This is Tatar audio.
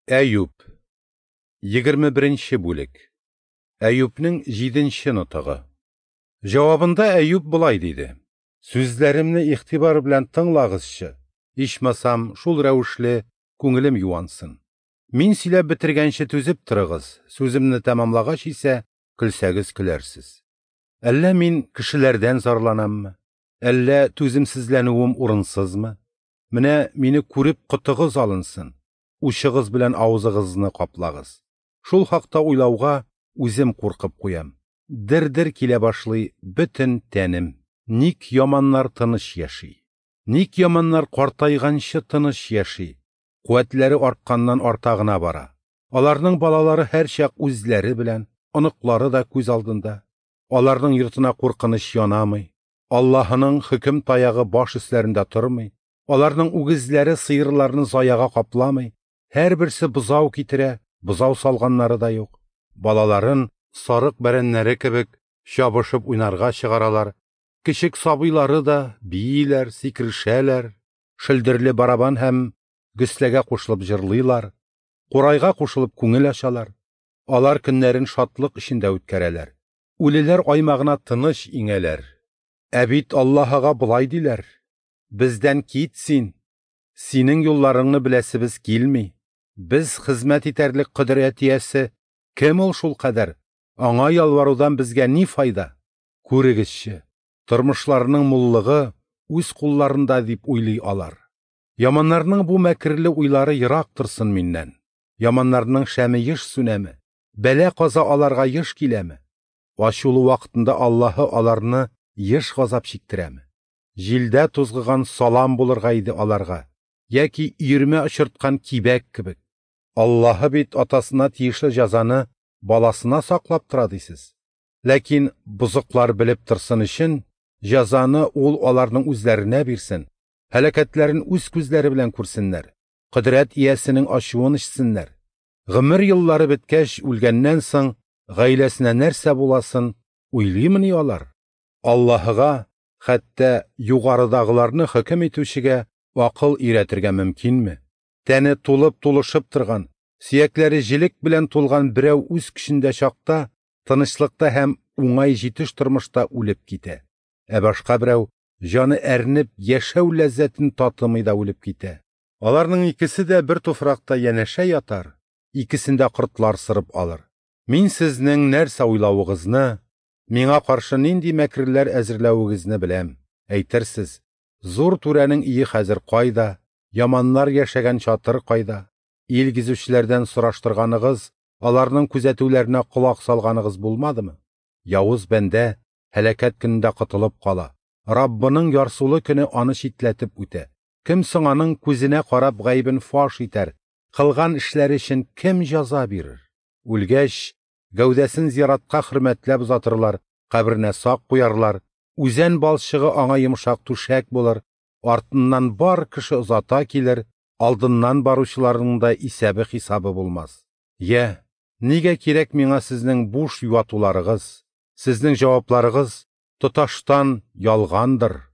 Әюп. 21 бүлек. Әюпнең 7 нотыгы. Җавабында Әюп болай диде: Сүзләремне игътибар белән тыңлагызчы, ичмасам, шул рәвешле күңелем юансын. Мин сөйләп бетергәнче түзеп торыгыз, сүземне тәмамлагач исә, көлсәгез көләрсез. Әллә мин кешеләрдән зарланаммы? Әллә түземсезләнүем урынсызмы? Менә мине күреп котыгыз алынсын, учыгыз белән авызыгызны каплагыз. Шул хакта уйлауга үзем куркып куям. Дер-дер килә башлый бөтен тәнем. Ник яманнар тыныч яши? Ник яманнар картайганчы тыныч яши? Куәтләре артканнан арта гына бара. Аларның балалары һәрчак үзләре белән, оныклары да күз алдында. Аларның йортына куркыныч янамый. Аллаһының хөкем таягы баш өсләрендә тормый. Аларның үгезләре сыерларны заяга капламый. Һәрберсе бозау китерә, бозау салганнары да юк. Балаларын сарык бәрәннәре кебек чабышып уйнарга чыгаралар. Кечек сабыйлары да бииләр, сикерешәләр, шөлдерле барабан һәм гөсләгә кушылып җырлыйлар, курайга кушылып күңел ачалар. Алар көннәрен шатлык эчендә үткәрәләр. Үлеләр аймагына тыныч иңәләр. Ә бит Аллаһыга болай диләр: Бездән кит син. Синең юлларыңны беләсебез килми. Без хезмәт итәрлек кодрәт иясе кем ул шул кадәр? Аңа ялварудан безгә ни файда? Күрегезче, тормышларының муллыгы үз кулларында дип уйлый алар. Яманнарның бу мәкерле уйлары ерак торсын миннән. Яманнарның шәме еш сүнәме? Бәла каза аларга еш киләме? Ачулы вакытында Аллаһы аларны еш газап чиктерәме? Җилдә тузгыган салам булырга иде аларга, яки өермә очырткан кибәк кебек. Аллаһы бит атасына тиешле җәзаны баласына саклап тора дисез. Ләкин бозыклар белеп торсын өчен җәзаны ул аларның үзләренә бирсен, һәлакәтләрен үз күзләре белән күрсеннәр, кодрәт иясенең ачуын эчсеннәр. Гомер еллары беткәч, үлгәннән соң гаиләсенә нәрсә буласын уйлыймыни алар? Аллаһыга, хәтта югарыдагыларны хөкем итүчегә акыл өйрәтергә мөмкинме? Тәне тулып тулышып торган, сөякләре җелек белән тулган берәү үз көчендә чакта, тынычлыкта һәм уңай җитеш тормышта үлеп китә. Ә башка берәү җаны әрнеп, яшәү ләззәтен татымый да үлеп китә. Аларның икесе дә бер туфракта янәшә ятар, икесен дә кортлар сырып алыр. Мин сезнең нәрсә уйлавыгызны, миңа каршы нинди мәкерләр әзерләвегезне беләм. Әйтерсез, зур түрәнең өе хәзер кайда, яманнар яшәгән чатыр кайда? Ил гизүчеләрдән сораштырганыгыз, аларның күзәтүләренә колак салганыгыз булмадымы? Явыз бәндә һәлакәт көнендә котылып кала. Раббының ярсулы көне аны читләтеп үтә. Кем соң аның күзенә карап гаебен фаш итәр? Кылган эшләре өчен кем җәза бирер? Үлгәч, гәүдәсен зиратка хөрмәтләп озатырлар, каберенә сак куярлар, үзән балчыгы аңа йомшак түшәк булыр, артыннан бар кеше озата килер, алдыннан баручыларның да исәбе-хисабы булмас. Йә, нигә кирәк миңа сезнең буш юатуларыгыз? Сезнең җавапларыгыз тоташтан ялгандыр.